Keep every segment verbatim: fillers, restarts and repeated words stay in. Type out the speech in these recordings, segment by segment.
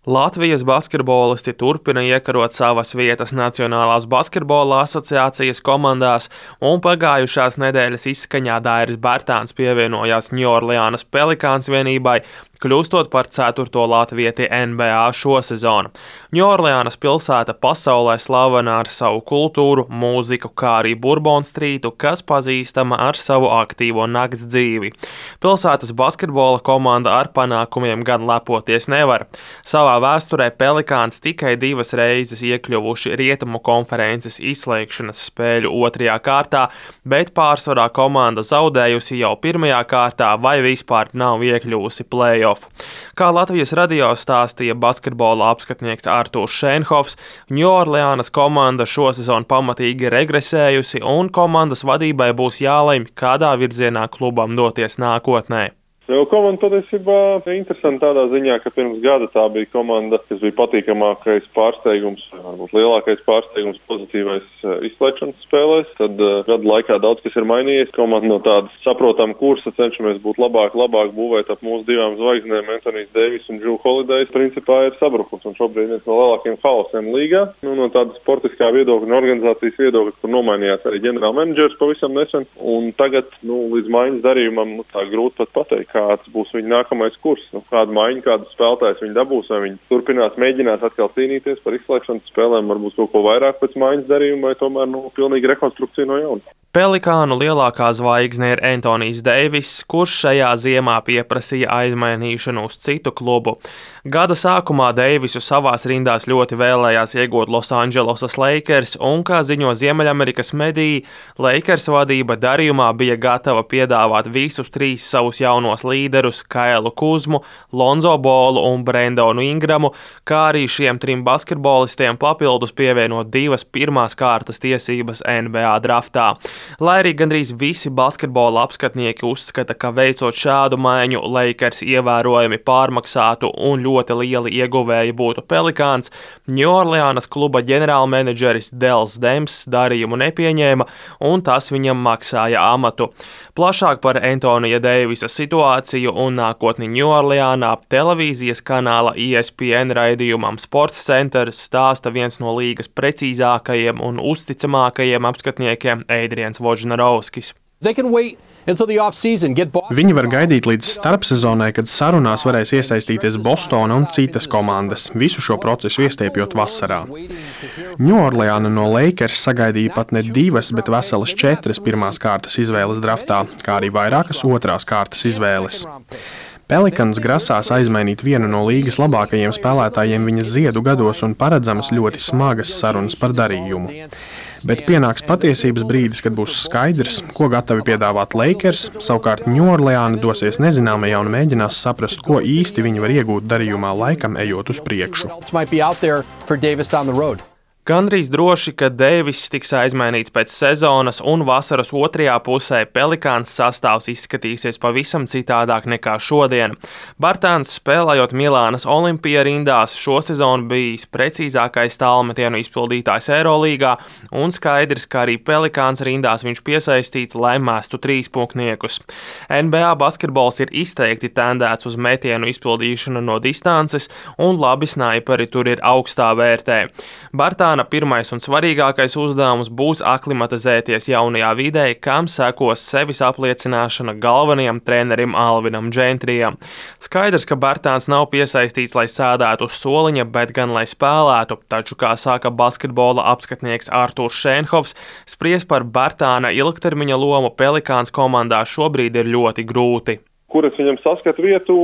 Latvijas basketbolisti turpina iekarot savas vietas Nacionālās basketbola asociācijas komandās, un pagājušās nedēļas izskaņā Dairis Bērtāns pievienojās Ņūorleānas Pelikāns vienībai, kļūstot par ceturto latvieti N B A šosezonu. Ņūorleānas pilsēta pasaulē slavena ar savu kultūru, mūziku, kā arī Bourbon Streetu, kas pazīstama ar savu aktīvo nakts dzīvi. Pilsētas basketbola komanda ar panākumiem gan lepoties nevar. Savā vēsturē Pelikāns tikai divas reizes iekļuvuši Rietumu konferences izslēgšanas spēļu otrajā kārtā, bet pārsvarā komanda zaudējusi jau pirmajā kārtā vai vispār nav iekļuvusi play-off. Kā Latvijas radio stāstīja basketbola apskatnieks Artūrs Šēnhofs, Ņūorleānas komanda šosezon pamatīgi regresējusi, un komandas vadībai būs jālemj, kādā virzienā klubam doties nākotnē. Jo komanda patiesībā ir interesanti tādā ziņā, ka pirms gada tā bija komanda, kas bija patīkamākais pārsteigums, varbūt lielākais pārsteigums pozitīvais izslēgšanas spēlēs. Tad uh, gada laikā daudz kas ir mainījies. Komanda no tādas saprotama kursa cenšamies būt labāk, labāk būvēt ap mūsu divām zvaigznēm, Anthonijs Deivis un Drew Holiday. Principā ir sabrukusi un šobrīd viens no lielākajiem haosiem līgā. Nu, no tādas sportiskā viedokļa un organizācijas viedokļa, kur nomainījās arī ģenerālmenedžers pavisam nesen. Un tagad, nu, līdz maiņas darījumam, nu, tā grūti pat pateikt, kāds būs viņa nākamais kurs, nu, kādu maiņu, kādus spēlētājus viņi dabūs, vai viņi turpinās, mēģinās atkal cīnīties par izslēgšanas spēlēm, varbūt kaut ko vairāk pēc maiņas darījuma, vai tomēr, nu, pilnīgi rekonstrukcija no jauna. Pelikānu lielākā zvaigzne ir Anthonijs Deivis, kurš šajā ziemā pieprasīja aizmainīšanu uz citu klubu. Gada sākumā Deivisu savās rindās ļoti vēlējās iegūt Losandželosas Lakers, un, kā ziņo Ziemeļamerikas mediji, Lakers vadība darījumā bija gatava piedāvāt visus trīs savus jaunos līderus – Kailu Kuzmu, Lonzo Ballu un Brendonu Ingramu, kā arī šiem trim basketbolistiem papildus pievienot divas pirmās kārtas tiesības N B A draftā. Lai arī gandrīz visi basketbola apskatnieki uzskata, ka veicot šādu maiņu Lakers ievērojami pārmaksātu un ļoti lieli ieguvēji būtu Pelikāns, Ņūorleānas kluba ģenerālmenedžeris Dels Dems darījumu nepieņēma, un tas viņam maksāja amatu. Plašāk par Anthonija Deivisa situāciju un nākotni Ņūorleānā televīzijas kanāla E S P N raidījumam Sports Center stāsta viens no līgas precīzākajiem un uzticamākajiem apskatniekiem Eidriens Vožnarovskis. Viņi var gaidīt līdz starpsezonai, kad sarunās varēs iesaistīties Bostona un citas komandas, visu šo procesu iestiepjot vasarā. Ņūorleāna no Lakers sagaidīja pat ne divas, bet veselas četras pirmās kārtas izvēles draftā, kā arī vairākas otrās kārtas izvēles. Pelikans grasās aizmainīt vienu no līgas labākajiem spēlētājiem viņa ziedu gados un paredzamas ļoti smagas sarunas par darījumu. Bet pienāks patiesības brīdis, kad būs skaidrs, ko gatavi piedāvāt Lakers, savukārt Ņūorleāna dosies nezināmajā un mēģinās saprast, ko īsti viņi var iegūt darījumā laikam ejot uz priekšu. Gandrīz droši, ka Deivis tiks aizmainīts pēc sezonas un vasaras otrajā pusē Pelikāns sastāvs izskatīsies pavisam citādāk nekā šodien. Bērtāns, spēlējot Milānas Olimpija rindās, šosezon bijis precīzākais tālmetienu izpildītājs Eirolīgā, un skaidrs, ka arī Pelikāns rindās viņš piesaistīts, lai mestu trīspunktniekus. N B A basketbols ir izteikti tendēts uz metienu izpildīšanu no distances, un labi snaiperi tur ir augstā vērtē. Bērtāns pirmais un svarīgākais uzdevums būs aklimatizēties jaunajā vidē, kam sekos sevis apliecināšana galvenajam trenerim Alvinam Džentrijam. Skaidrs, ka Bērtāns nav piesaistīts, lai sēdētu uz soliņa, bet gan lai spēlētu, taču, kā saka basketbola apskatnieks Artūrs Šēnhofs, spries par Bērtāna ilgtermiņa lomu Pelikāns komandā šobrīd ir ļoti grūti. Kur es viņam saskatu vietu,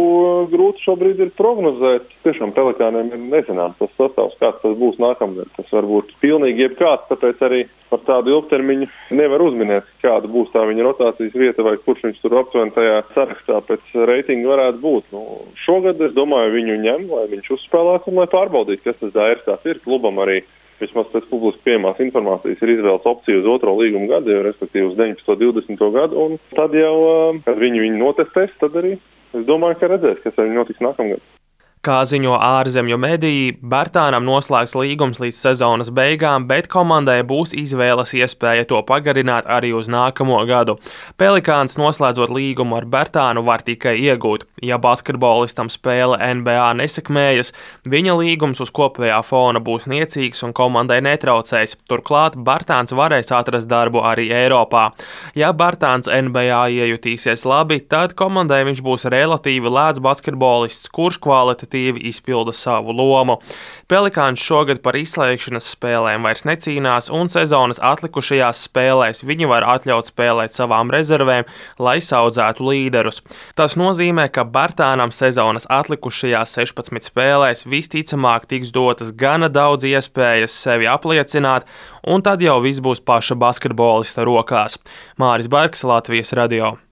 grūti šobrīd ir prognozēt. Tiešām Pelikāniem ir nezināms tas sastāvs, kāds tas būs nākamgad. Tas var būt pilnīgi jebkāds, tāpēc arī par tādu ilgtermiņu nevar uzminēt, kāda būs tā viņa rotācijas vieta vai kurš viņš tur aptuveni tajā sarakstā pēc reitinga varētu būt. Nu, šogad, es domāju, viņu ņem, lai viņš uzspēlētu un lai pārbaudītu, kas tas Dairis tāds ir. Klubam arī vismaz pēc publiski pieejamās informācijas ir izvēles opcija uz otro līguma gadu, respektīvi uz deviņpadsmito divdesmito gadu, un tad jau, kad viņi viņu notestēs, tad arī es domāju, ka redzēs, kas ar viņu notiks nākamgad. Kā ziņo ārzemju mediji, Bertānam noslēgs līgums līdz sezonas beigām, bet komandai būs izvēles iespēja to pagarināt arī uz nākamo gadu. Pelikāns, noslēdzot līgumu ar Bertānu, var tikai iegūt. Ja basketbolistam spēle N B A nesekmējas, viņa līgums uz kopējā fona būs niecīgs un komandai netraucēs. Turklāt Bertāns varēs atrast darbu arī Eiropā. Ja Bertāns N B A iejutīsies labi, tad komandai viņš būs relatīvi lēts basketbolists, kurš kvalitatīvi izpilda savu lomu. Pelikāns šogad par izslēgšanas spēlēm vairs necīnās, un sezonas atlikušajās spēlēs viņi var atļaut spēlēt savām rezervēm, lai saudzētu līderus. Tas nozīmē, ka Bertānam sezonas atlikušajās sešpadsmit spēlēs visticamāk tiks dotas gana daudz iespējas sevi apliecināt, un tad jau viss būs paša basketbolista rokās. Māris Bergs, Latvijas radio.